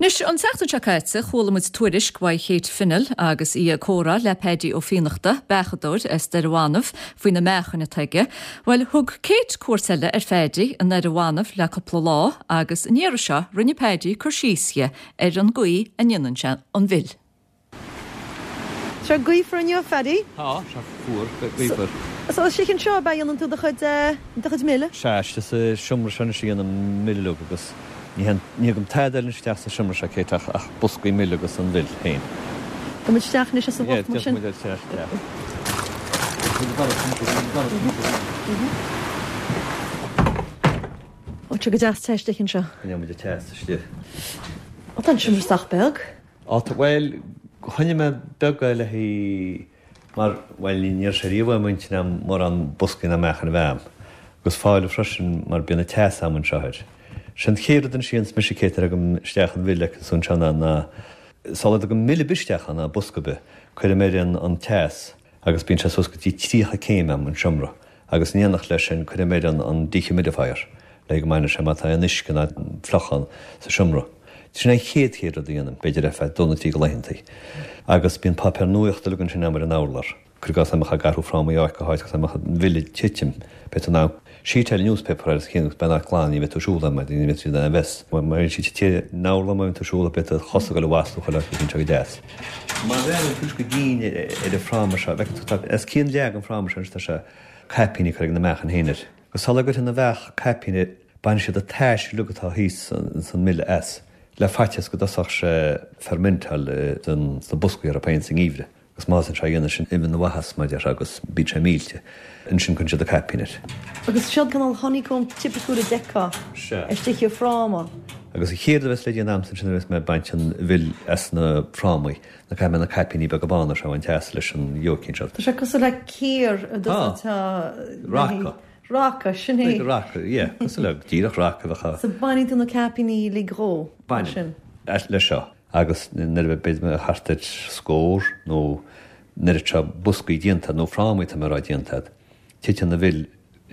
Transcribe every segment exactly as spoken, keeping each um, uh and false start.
Anois an tseachtain seo caite chuala muid tuairisc ó Kate Finnell agus í ag comhrá le Paddy Ó Fiannachta, beachadóir as Doire Bhanbh faoi na meáchain atá aige. Well thug Kate cuairt eile ar Phaddy i nDoire Bhanbh le cúpla lá agus an iarraidh seo rinne Paddy cur síos di ar an gcaoi a ndéanann sé an mhil. Sé gaofar inniu Phaddy? Tá sé fuar gaofar. So istigh anseo a dhéanann tú do chuid do chuid mile? Sea sa seomra seo a dhéanaim mil agus ní thugaim tada eile isteach sa seomra seo Kate ach ach boscaí mil agus an mhil féin. Tá muid isteach anois sa bhoth mar sin. sin. Ó go deas te istigh anseo. Ní muid te istigh. Ó tá an seomra sách beag? Á bhuel choinnigh mé beag le hí mar bhuel ní sé riamh muintin am mar an boscaí na meáchan a bheith agus fáil freisin mar bíonn an teas am anseo air. Sin chéad den sin mise Kate agam isteach an mhil agus anseo ná sula dtugaim mil ar bith isteach an bosca be, cuirim air an an teas agus bíonn sé suas go dtí tríocha céim am an seomra agus in éineacht leis sin cuirim air an an dehumidifier le go mbainfidh sé má tá an uisce ná fliuchán sa seomra. Sin an chéad chéad rud a dhéanaim, b'fhéidir ar feadh dó nó trí de laethanta. Agus bíonn páipéar nuachta uilig ansin am ar an urlár. Cuir i gcás amach ag athrú frámaí áit go háit agus amach an mhil ag titim, beidh tú in ann sheet newspaper agus chéan agus beidh glan ní bheidh tú siúl mar ní bheidh tú in ann bheith. Mar sí te ná mar tú siúl beidh tú chosa go le wasú chuile bíonn sé go deas. Má bhreathnaíonn tú go dian ar an fráma seo, bheith tú as cíon leag an fráma seo tá sé caipíní chur ag na meáchan féin air. Go sula gcuireann na bheach caipíní bain siad a taise uilig atá thíos san mil as. Le faitíos go dtosódh sé fermentáil den sna boscaí ar a péint sa ngeimhreadh. Agus má sé dhéanamh sin imíonn na mhaitheas mar deir agus bíonn sé millte. Ansin cuireann siad a caipín air. Agus seo cineál honeycomb tipiciúil a d'fheicfeá istigh i fráma. Agus an chéad rud a bheas le déanamh sin a bheas mé ag baint an mhil as na frámaí na caithfidh mé na caipíní beaga bána seo a bhaint as leis an jóicín seo. Tá sé cosúil le cíor a Tá. Raca. Raca, sin é. Raca, yeah, cosúil le díreach raca bheadh. So baineann tú na caipíní uilig dhó. Bainim. Leis seo. Agus nuair a bheidh mé thart ar scór nó nuair atá boscaí déanta nó frámaí tá mé rá déanta, titeann an mhil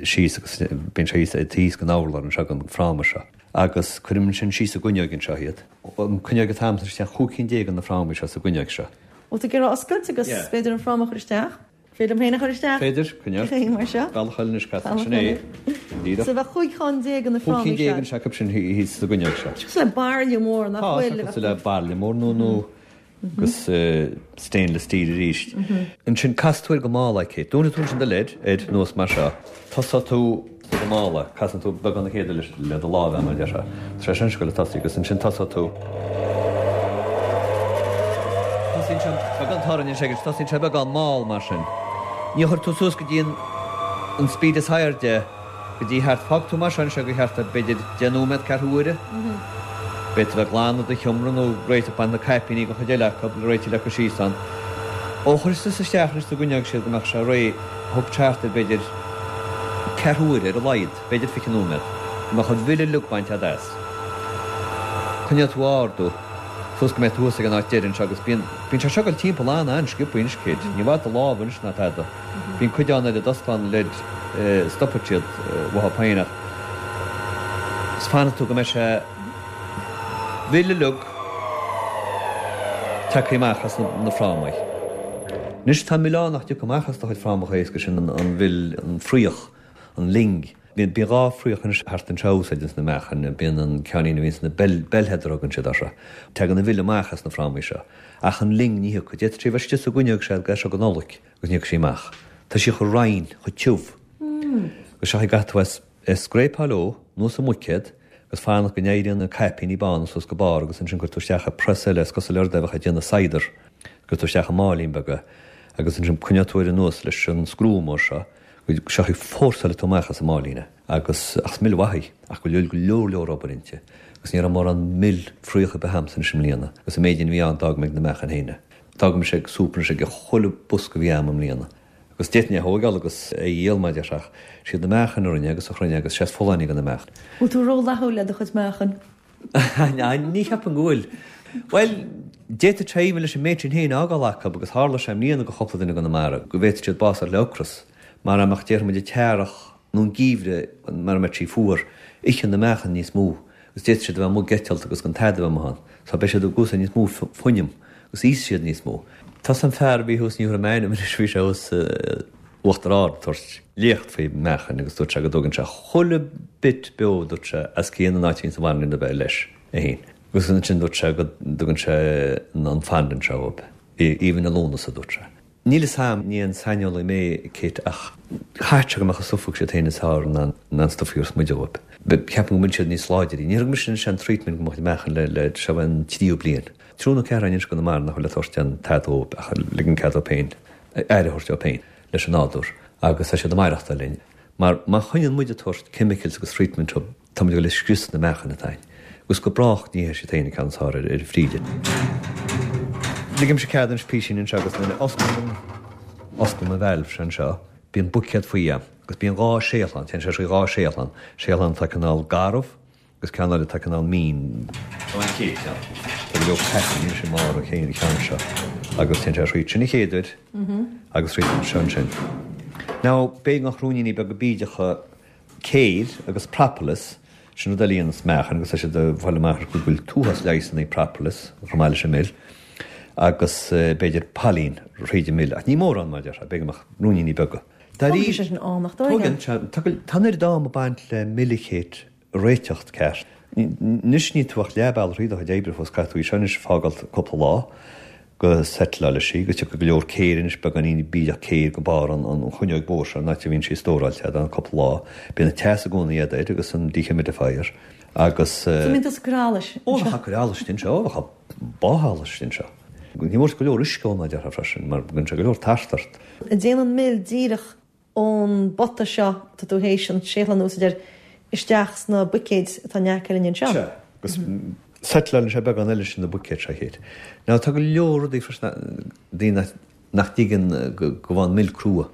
síos agus bíonn sé thíos thíos den urlár anseo den fráma seo. Agus cuirim sin síos i gcuinneog anseo iad. An cuinneog atá a'm isteach chúig cinn déag de na frámaí seo sa gcuinneog seo. Bhfuil tú ag iarraidh oscailt agus b'fhéidir an fráma a chur isteach? Féidir liom féin a chur isteach? Féidir, coinneoidh. Cén mar seo? Bealach eile anois Cat, sin é. Díreach. So bheadh chúig cheann déag de na Chúig frámaí cinn déag seo. anseo acu sin thíos sa gcuinneog seo. Cosúil le bairille mór nach Tá, bhfuil. sé cosúil le bairille mór nó nó agus stainless steel arís. Ansin cas tú air go mall aici. Dúnann tú ansin do lid ar nós mar seo. Tosóidh tú go mall, casann tú beagán na chéad le do lámh mar deir seo. Tá sé sin go le tosaí agus ansin tosóidh tú. Tosaíonn sé beagán torann sé agus tosaíonn sé beagán mall mar sin. Ní chuir tú suas go dtí an an speed is airde go dtí thart fág tú mar sin sé go thart ar b'fhéidir deich nóiméad ceathrú uaire. B'fhéidir bheith glanadh do sheomra nó réiteach bain na caipíní go chuid eile acu le réiteach le síos ann. Ó chuir tú isteach anois sa gcuinneog siad go mbeadh sé réidh thug thart ar b'fhéidir ceathrú uaire ar a laghad, b'fhéidir fiche nóiméad, go mbeadh an mhil uilig bainte as. Coinneoidh tú ardú suas go mbeidh tú thuas ag an áit deireadh anseo agus bíonn bíonn sé seo ag dul timpeall an-an-sciobtha anois Kate. Ní bhfad do lámh anois ná tada. Bíonn cuid ann ar a d'osclann leid stopfaidh siad uathu féin ach is fanfaidh tú go mbeidh sé mhil uilig tagtha amach as na, na frámaí. Anois tá milleán nach dtiocfaidh amach as do chuid frámacha éasca sin an, an mhil an fraoch, an ling. Bíonn bíonn dhá fraoch anois thart anseo úsáideann sna meáchain, bíonn an ceannín a bhíonn sna bell bellheader a thugann siad orthu. Tagann an mhil amach as na frámaí seo. Ach an ling ní thiocfaidh. D'fhéadfadh sé bheith istigh sa gcuinneog sé go seo go Nollaig agus ní thiocfaidh sí amach. Tá sí chomh righin, chomh tiubh. Agus seo caithfidh tú é scrapáil ó, anuas an mbuicéad, agus fanacht go n-éiríonn na caipíní bána suas go barr agus ansin cuir tú isteach i press eile is cosúil le rud a bheadh ag déanamh cider. Cuir tú isteach i máilín beaga agus ansin coinneoidh tú air anuas leis an screw mór seo go seo fórsáil tú amach as an máilín é. Agus ach is mil mhaith í, ach go leor go leor leor obair inti. Agus ní raibh mórán mil fraoch ar bith a'msa anois i mbliana, agus an méid a bhí ann d'fhág mé ag na meáchain féin é. D'fhág mise ag súp anois ag chuile bosca a bhí a'm i mbliana. Agus d'fhéadfainn é a thógáil agus é a dhíol mar deir ach siad na meáchain a rinne agus a chruinne agus sé is folláine go na meáchain. Bhfuil tú rófhlaithiúil le do chuid meáchan? Ní cheapaim go bhfuil. Well, d'fhéadfadh sé even leis an méid sin féin a fhágáil acu agus tharla sé i mbliana go chúpla duine i gConamara go bhféadfadh siad bás le ocras. Mar amach déarfaidh muid an t-earrach nó an geimhreadh mar a mbeadh sí fuar, itheann na meáchain níos mó agus d'fhéadfadh siad a bheith amuigh ag eitilt agus gan tada a bheith amuigh ann. So beidh siad ag úsáid níos mó fuinneamh agus íosfaidh siad níos mó. Tá an fear a bhí thuas, ní thabharfaidh mé a ainm anois, bhí sé thuas Uachtar Ard ag tabhairt léacht faoi mheáchain agus dúirt sé go dtugann sé chuile bit beo, dúirt sé, as cionn an áit a bhíonns an bhanríon do bheith leis é fhéin. Agus ansin dúirt sé go dtugann sé an fondant seo dhóibh, even i Lúnasa, dúirt sé. Níl fhios a'm, ní aon saineolaí mé, Kate, ach chaithfeadh sé go mbeadh an stuif a thug siad féin is fearr ná an stuif a thabharfas muide dhóibh. Ceapaim go bhfuil siad níos láidre. Níor thug mise anois an treatment go mbeadh meáchan le, le, seo an tríú bliain. Triúr nó ceathrar anois i gConamara nach bhfuil ag tabhairt aon tada dhóibh ach ligean cead dóibh féin, aire a thabhairt dóibh féin leis an nádúr agus tá siad ag maireachtáil linn. Mar má choinníonn muid ag tabhairt chemicals agus treatment dóibh, tá muid ag dul ag scrios na meáchain atá a'inn. Agus go brách ní théid siad féin an ceann is fearr ar ar an bhfríde. Ligimse cead anois písín anseo agus nuair a osclaím an osclaím an valve seo anseo, bíonn buicéad faoi a'm agus bíonn dhá séathlán, téann sé trí dhá séathlán, séathlán atá cineál garbh agus ceann eile atá cineál mín. Seo an chéad cheann. Tá go leor pattern anois i mbarr an chéad cheann seo agus téann sé thríd sin an chéad uair agus thríd anseo ansin. Now, b'fhéidir nach ruainníní beaga bídeacha céir agus propolis, sin rud eile a dhéanas meáchan agus tá siad ag fáil amach go bhfuil an t-uafás leigheasanna i propolis chomh maith leis an mil agus b'fhéidir pailin thríd an mil ach ní mórán mar a déarfá, b'fhéidir go mbeadh ruainníní beaga. Tógann sé sin am nach dtógann? Tógann, tá an oiread am ag baint le mil a Kate a réiteacht ceart. Anois níl tú ach leath bealaigh thríd do chuid oibre fós, caithfidh tú í seo anois a fágáil cúpla lá go settleáilfidh sí, go dtiocfaidh go leor céir anois, beagáinín bídeach céir go barr an chuinneoig mhór seo, an áit a bhíonn sí stóráilte, don cúpla lá. Bíonn an teas i gcónaí agat air agus an dehumidifier agus. So mbíonn tusa ag cur allais anseo? Ó, bheadh ag cur allais anseo, bheadh báth allais anseo. Ní mór go leor uisce ann, a déarfá freisin, mar bíonn sé go leor tart ort. An dtéann an mil díreach ón bpota seo atá tú théis an séathlán a úsáid air isteach sna buicéid atá in aice linn anseo. Sea, agus settleálann sé beagán eile sin na buicéid seo a Kate. Now tá go leor rudaí freisin daoine nach dtuigeann go bhfaigheann mil crua.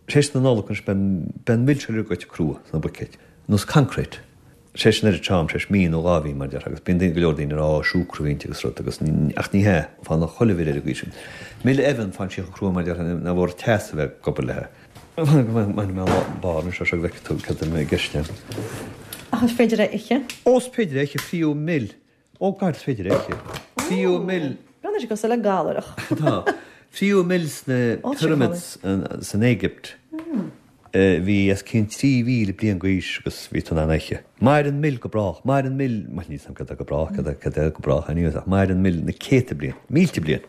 Tar éis na Nollag anois beidh an mil seo uilig goite crua sna buicéid. Nós concrete. Tar éis an oiread seo am, tar éis mí nó dhá mhí mar a déarfá, agus bíonn daoine, go leor daoine ag rá ó siúcra a bhí inti agus rud agus ach ní hea, faigheann chuile mhil ar an gcaoi sin. Mil eibheann, faigheann sí chomh crua mar a déarfá nach mór teas a bheith ag obair léi. Bainfidh mé an barr anseo seo go bhfeicfidh tú cad é i gceist agam. Ach is féidir é a ithe? Ó, is féidir é a ithe, fiú mil. Ó God, is féidir é a ithe. Fiú mil. Breathnaíonn sé cosúil le galaireach. Tá. Fiú mil sna pyramids san Éigipt bhí os cionn trí mhíle bliain d'aois agus bhí tú in ann é a ithe. Maireann mil go brách. Maireann mil, bhuel níl 'fhios a'm cad é go brách, cad é cad é go brách anyways, ach maireann mil na céadta bliain, mílte bliain.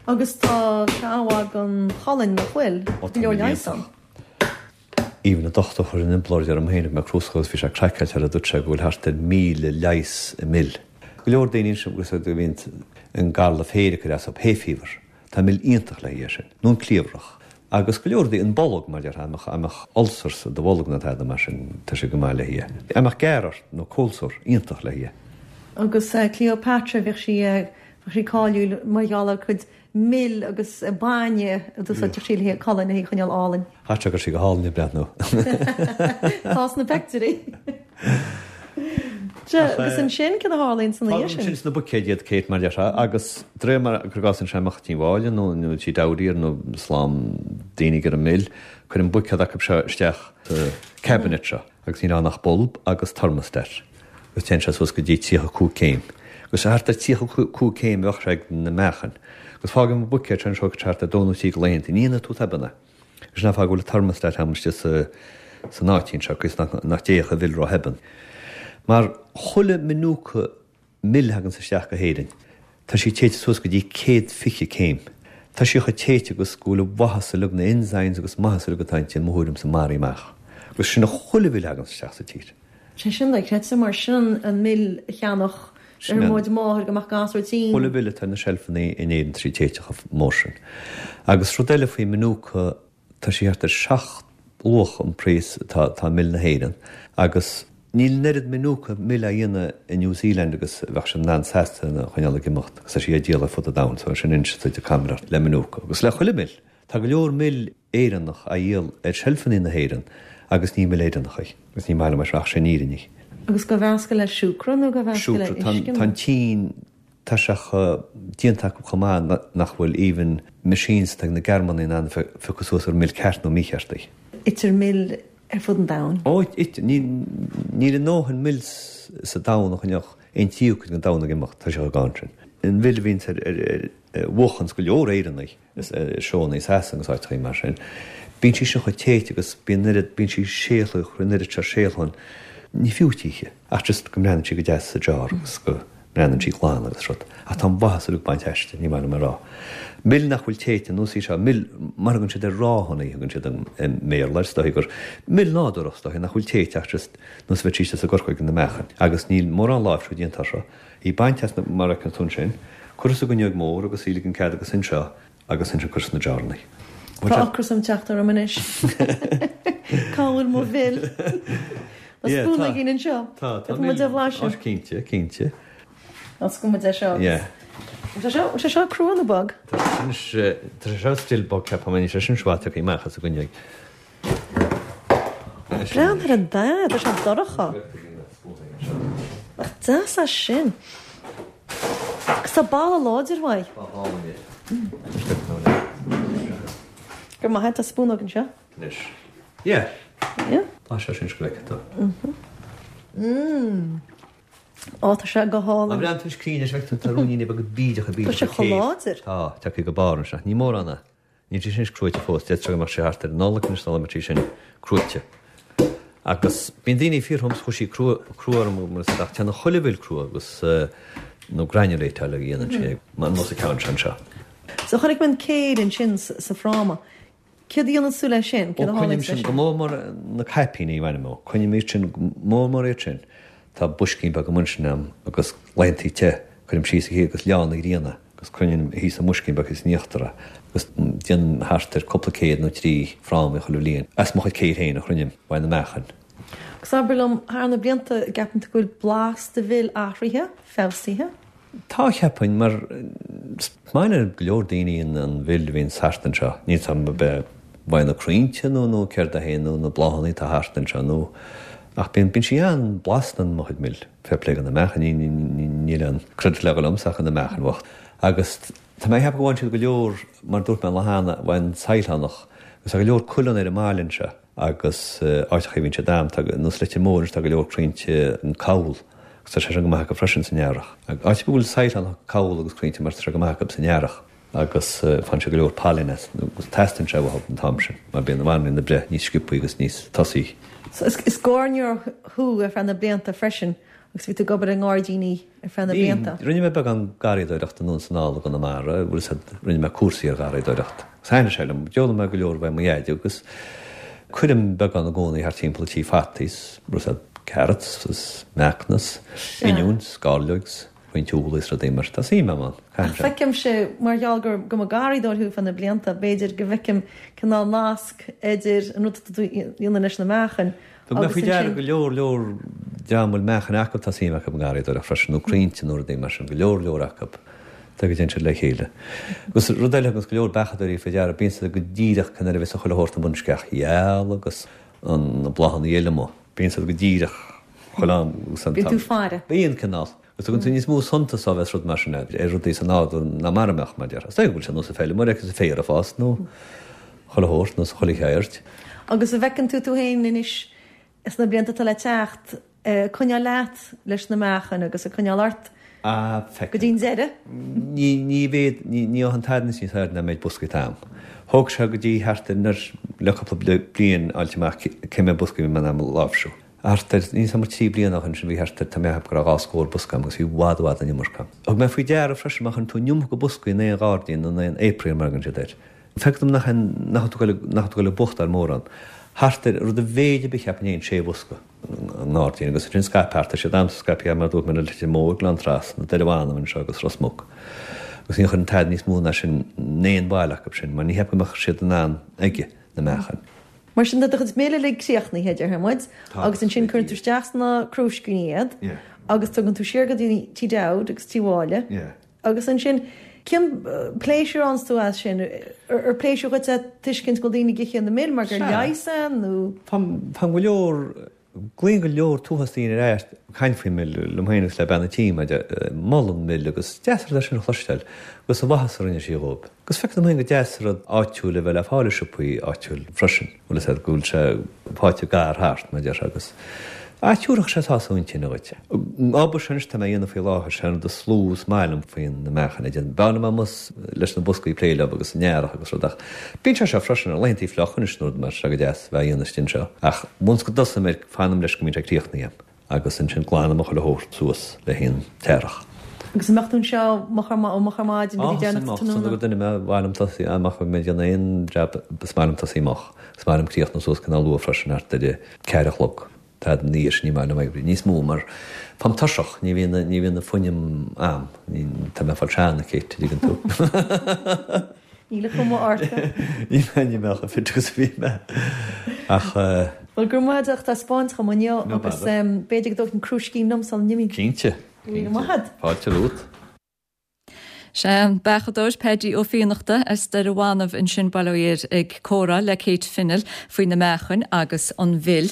Agus tá sé an-mhaith don cholainn, nach bhfuil? Ó Go tá leor leigheas ann. Even an dochtúir a chuir an implóid orm féin, bhí mé crúsctha agus bhí sé craiceáilte air, dúirt sé go bhfuil thart ar míle leigheas i mil. Go leor daoine ansin agus a bhíonn an garlamh féir ag cur as dóibh, hay fever. Tá mil iontach le haghaidh é sin. Nó an cliabhrach. Agus go leor rudaí, an bolg mar a déarfá, a mbeadh, a mbeadh ulcer sa do bholg nó tada mar sin, tá sé go maith le haghaidh é. A mbeadh gearr ort nó cold sore, iontach le haghaidh é. Agus Cleopatra, bheadh sí Bheadh sí cáiliúil mar gheall ar a cuid mil agus bainne a d'úsáideadh sí le haghaidh a colainn a choinneáil álainn. Chaithfeadh sé go raibh sí go hálainn ag breathnú. Tá sna peictiúirí. Sea, agus ansin, cad a tharlaíonn ina dhiaidh sin? Fágaim sin sna buicéid iad, Kate, mar a déarfá, agus de réir mar cuir i gcás anseo amach Tí Mháille nó nó Tí Dowdy nó slám daoine ag iarraidh mil, cuirim buicéad acu seo isteach sa cabinet seo agus níl ann ach bulb agus thermostat agus téann sé suas go dtí tríocha cúig céim. Agus thart ar tríocha cúig céim a bheadh sé ag na meáchain. Agus fágaim an buicéad seo anseo thart ar dó nó trí de laethanta. Ní dhéanfaidh tú tobann é. Agus sin an fáth go bhfuil an thermostat agam istigh sa san áitín seo, ionas nach nach dtéadh an mhil ró-thobann. Mar chuile Manuka mil a thaganns isteach go hÉirinn, tá sí téite suas go dtí céad fiche céim. Tá sí chomh téite agus go bhfuil an mhaitheas uilig, na enzymes agus maitheas uilig atá inti, i mo thuairimse, maraithe amach. Agus sin a chuile mhil a thaganns isteach sa tír. Sé sin dochreidte mar sin an mil a cheannódh mo mháthair go mbeadh gasúr tinn. Chuile mhil atá ar na seilfeanna in Éirinn tá sí téite chomh mór sin. Agus rud eile faoi Manuka, tá sí thart ar seacht luach an praghas atá atá mil na hÉireann agus níl an oiread Manuka mil á dhéanamh i New Zealand agus a bheadh siad in ann seasta a choinneáil ag imeacht agus tá sí á díol ar fud an domhain so sin anois duit ag caimiléireacht le Manuka agus le chuile mil. Tá go leor mil Éireannach á dhíol ar seilfeanna na hÉireann agus ní mil Éireannach í, agus ní maith liom é ach sin an fhírinne í. Agus dhá mheascadh le siúcra nó dhá mheascadh le Siúcra. uisce Tá nó? an tSín, tá sé chomh déanta acu chomh maith nach bhfuil even machines atá ag na Gearmánaigh in ann a phiocadh suas ar mil ceart nó mícheart í. Itear mil ar fud an domhain. Ó, itear. Níl a ndóthain mil sa domhan a choinneodh Aon tríú cuid den domhan ag imeacht, tá sé chomh gann sin. An mhil a bhíonns ar ar bhuachanns go leor Éireannaigh is seónna i Sasana agus áiteachaí mar sin, bíonn sí sin chomh téite agus bíonn oiread, bíonn sí séalaithe, an oiread seo séaltháin, ní fiú títhe ach just go mbreathnaíonn sí go deas sa jar agus go mbreathnaíonn sí glan agus rud. Ach tá an mhaitheas uilig bainte aisti, ní maith liom a rá. Mil nach bhfuil téite, nós í seo, mil mar a thugann siad ar raw honey, thugann siad i mBéarla, is dóigh gur mil nádúrach, is dóigh, nach bhfuil téite ach just nós a bheadh sí sa gcorcóig na meáchain. Agus níl mórán láimhsiú déanta air seo. Í bainte as na, mar a fheiceann tú ansin, curtha sa gcuinneog mór agus í ligean cead agus anseo agus ansin curtha sna jarrannaí. Tá ocras ag teacht orm anois. Cá bhfuil mo mhil? Tá spúnóg againn anseo. Tá, tá mil. Tá bhlaiseadh. Cinnte, cinnte. Oscaill muid é seo. Yeah. Tá seo, tá seo crua nó bog? Tá sé tá sé seo still bog ceapaim, níl sé sin seo tagtha amach as an gcuinneog. Breathnaigh ar an dath, tá sé dorcha. Nach deas é sin. Agus tá boladh láidir uaidh. Tá álainn é. Go maith, tá spúnóg anseo. Anois. Yeah. Yeah. Tá sé sin go bhfeicfidh tú. Mm. Ó, tá sé go hálainn. Má bhreathnaíonn tú cruinn anois feicfidh tú tá ruainníní beaga bídeacha bídeacha. Tá sé chomh láidir. Tá, tagtha go barr anseo. Ní mórán é. Níl sé sin cruaite fós. D'fhéadfadh sé go mbeadh sé thart ar an Nollaig anois sula mbeadh sé sin cruaite. Agus bíonn daoine ag fiafraí dhom chuaigh sí crua crua orm mar is ach téann chuile mhil crua agus nó granulateáil a dhéanann sé mar nós an ceann seo anseo. So chonaic mé an céir ansin sa fráma. Céard a dhéanann tú leis sin? Ó coinním sin go mór mór na caipíní a bhainim ó. Coinním iad sin go mór mór iad sin. Tá boiscín beag amuigh ansin a'm agus laethantaí te, cuirim síos thíos agus leá na gréine agus coinním thíos i mboiscín beag thíos in íochtar é agus déanaim thart ar cúpla céad nó trí fráma chuile bhliain as mo chuid céir féin a chruinním uaidh na meáchain. Agus abair liom, thar na blianta, an gceapann tú go bhfuil blas do mhil athraithe, feabhsaithe? Tá, cheapfainn, mar is maith le go leor daoine an mhil a bhíonn thart anseo. Níl 's a'm ab é uaidh na crainnte nó nó céard é féin nó na bláthanna atá thart anseo nó ach bíonn bíonn sí an-bhlasta mo chuid mil. Fair play do na meáchain, ní ní ní níl aon credit le dhul liomsa ach do na meáchain bhocht. Agus tá mé ag ceapadh go bhfaigheann siad go leor, mar dúirt mé an lá cheana, uaidh an sailtheánach agus tá go leor coileanna ar an mbaile anseo agus áiteacha a bhíonn siad ann, tá nós Leitir Móir anois tá go leor crainnte an cabhal agus tá sé sin go maith acu freisin san earrach. Áit ar bith a bhfuil sailtheánach, cabhal agus crainnte mar tá sé go maith acu san earrach agus faigheann siad go leor pailin as agus teastaíonn sé uathu an t-am sin mar bíonn na banríon ag breith níos sciobthaí agus níos tosaí. So is gairneoir thú ar feadh na blianta freisin agus bhí tú ag obair i ngairdíní ar feadh na blianta. Bhí. Rinne mé beagán garraíodóireachta anonn is anall i gConamara, bhfuil 'fhios a'd, rinne mé cúrsaí ar gharraíodóireacht. Agus thaitnigh sé liom. D'fhoghlaim mé go leor uaidh mo dhaid agus cuirim beagán i gcónaí thart timpeall an tí fataí 's, bhfuil 'fhios a'd, carrots is meacan is oinniúin 's gairleoig 's roinnt úlla is rudaí mar tá suim a'm ann. Ach feicimse, mar gheall gur go mba garraíodóir thú feadh na blianta, b'fhéidir go bhfeicim cineál nasc idir an rud atá tú a dhéanamh leis na meáchain Thug mé agus faoi deara ansin. go leor leor dream a bhfuil meáchain acu, tá suim acu i ngarraíodóireacht freisin, nó crainnte nó rudaí mar sin, go leor leor acu. Tá go dtéann siad le chéile. Agus rud eile thuganns go leor beachadóirí faoi deara, bíonn siad go díreach cén uair a bheas chuile shórt amuigh, an sceach gheal agus na bláthanna eile amuigh. Bíonn siad go díreach chuile am agus an Bíonn tú t-am. faire. Bíonn cineál. Agus tugann tú níos mó suntas dá bheas rud mar sin ar rudaí sa nádúr ná mar a mbeadh, mar a déarfá. Is dóigh go bhfuil sé nós an feilméara agus an féar ag fás nó chuile shórt nó sa chuile cheird. Agus an bhfeiceann tú tú féin anois sna blianta atá le teacht ag coinneáil leat leis na meáchain agus ag coinneáil ort Ah, go feicim. dtí an deireadh? Ní, ní bhéad, ní, ní fhaigheann tada níos airde ná méid boscaí atá a'm. Thóg sé go dtí thart ar nuair, le cúpla bliain fháilt amach cé mhéad bosca a bhí mé in ann a láimhsiú. Thart ar, níl 's a'm, trí bliana ó shin sin bhí thart ar, tá mé a cheapadh go raibh dhá scór bosca a'm agus bhí i bhfad, i bhfad an iomarca a'm. Thug mé faoi deara freisin má chuireann tú an iomarca boscaí in aon ghairdín nó in aon apiary mar a thugann siad air, Feictear dom nach nach tú nach tú le buachtáil mórán. Thart ar rud a mhéid ar bith cheapfainn aon sé bhosca i ngairdín agus ansin scaipthe thart tá siad a'msa scaipthe mar a dúirt mé na Leitir Móir, Gleann Trasna, Doire Bhanbh anseo agus Ros Muc. Agus ní chuireann tada níos mó ná sin in aon bhaile acu sin mar ní cheapaim go mbeadh siad in ann aige na meáchain. Mar sin tá do chuid mil uilig críochnaithe, déarfaidh muid, agus ansin cuireann tú isteach sna crúiscíní iad agus tugann tú siar go dtí Tí Dowd agus Tí Mháille. Agus ansin, cén pléisiúr a fhaigheanns tú as sin? Ar pléisiúr dhuit é tuiscint go bhfuil daoine ag ithe na mil mar gur leigheas é nó? Faigheann go leor, glaonn go leor tuathas daoine ar ais ag caint faoin mil liom féin agus le bean an tí, mar molann an mil agus is deas an rud é sin a chloisteáil agus an mhaitheas a rinne sí dhóibh. Agus feictear dom féin gur deas an rud áitiúil a bheith le fáil i siopaí áitiúil freisin, bhfuil fhios agat go bhfuil sé faighte gar thart, mar a déarfá, agus Ach thiúrfadh sé sásamh intinne dhuit. An obair seo anois atá mé a dhéanamh faoi láthair, sé an rud is lú is maith liom faoi na meáchain a dhéanamh. B'fhearr liom amuigh leis na boscaí ag plé leo agus an earrach agus rud ach bíonn sé seo freisin ar laethantaí fliucha anois nó rud mar seo go deas a bheith á dhéanamh istigh anseo. Ach once go dtosaím air fanaim leis go mbíonn sé críochnaithe agam agus ansin glanaim chuile shórt suas le haghaidh an t-earrach. Agus an mbeadh tú anseo moch ar ó moch ar maidin go dtí deireanach sa tráthnóna? Go duine mé, mhaith liom tosaí amach mé ag déanamh aon jab is maith liom tosaí moch. Is maith liom críochnú suas cineál luath freisin thart ar a ceathair a chlog. Tada ina dhiaidh sin ní maith liom oibriú níos mó mar táim tuirseach, ní bhíonn ní bhíonn an fuinneamh a'm, ní tá mé ag fáil sean, a Kate, a dtuigeann tú. Níl an chuma ort. Níl mé ní mé chomh fit agus a bhí mé. Ach. Bhuel, go raibh maith agat as ucht taispeáint dhom inniu No agus bother. b'fhéidir go dtógfainn crúiscín liom sula n-imím. Cinnte, Go raibh míle cinnte. maith agat. Fáilte romhat. Sé an beachadóir Paddy Ó Fiannachta as Doire Bhanbh ansin, bail ó Dhia air, ag comhrá le Kate Fennell faoi na meáchain agus an mhil.